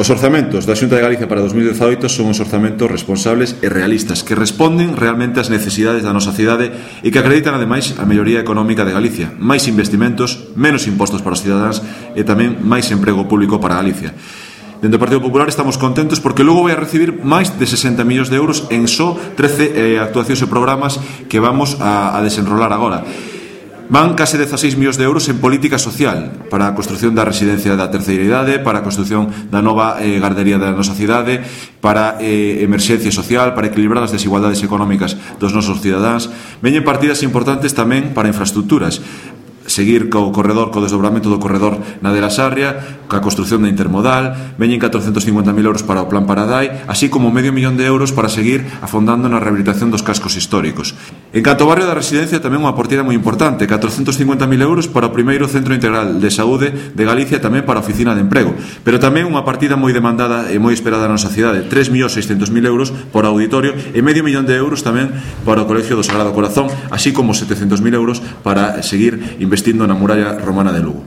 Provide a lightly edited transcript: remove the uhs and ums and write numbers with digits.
Os orzamentos da Xunta de Galicia para 2018 son os orzamentos responsables e realistas que responden realmente ás necesidades da nosa cidade e que acreditan ademais a melloría económica de Galicia, máis investimentos, menos impostos para os cidadáns e tamén máis emprego público para Galicia. Dentro do Partido Popular estamos contentos porque logo vai a recibir máis de 60 millóns de euros en só 13 actuacións e programas que vamos a desenrolar agora. Van case 16 millóns de euros en política social para a construción da residencia da terceira idade, para a construción da nova gardería da nosa cidade, para emerxencia social, para equilibrar as desigualdades económicas dos nosos cidadáns. Veñen partidas importantes tamén para infraestructuras, seguir co desdobramento do corredor na de la Sarria, coa construción da intermodal. Veñen 450.000 euros para o Plan Paradai, así como medio millón de euros para seguir afondando na rehabilitación dos cascos históricos. En canto ao barrio da Residencia, tamén unha partida moi importante, 450.000 euros para o primeiro Centro Integral de Saúde de Galicia, tamén para a Oficina de Emprego, pero tamén unha partida moi demandada e moi esperada na nosa cidade, 3.600.000 euros para o auditorio e medio millón de euros tamén para o Colegio do Sagrado Corazón, así como 700.000 euros para seguir investindo na muralla romana de Lugo.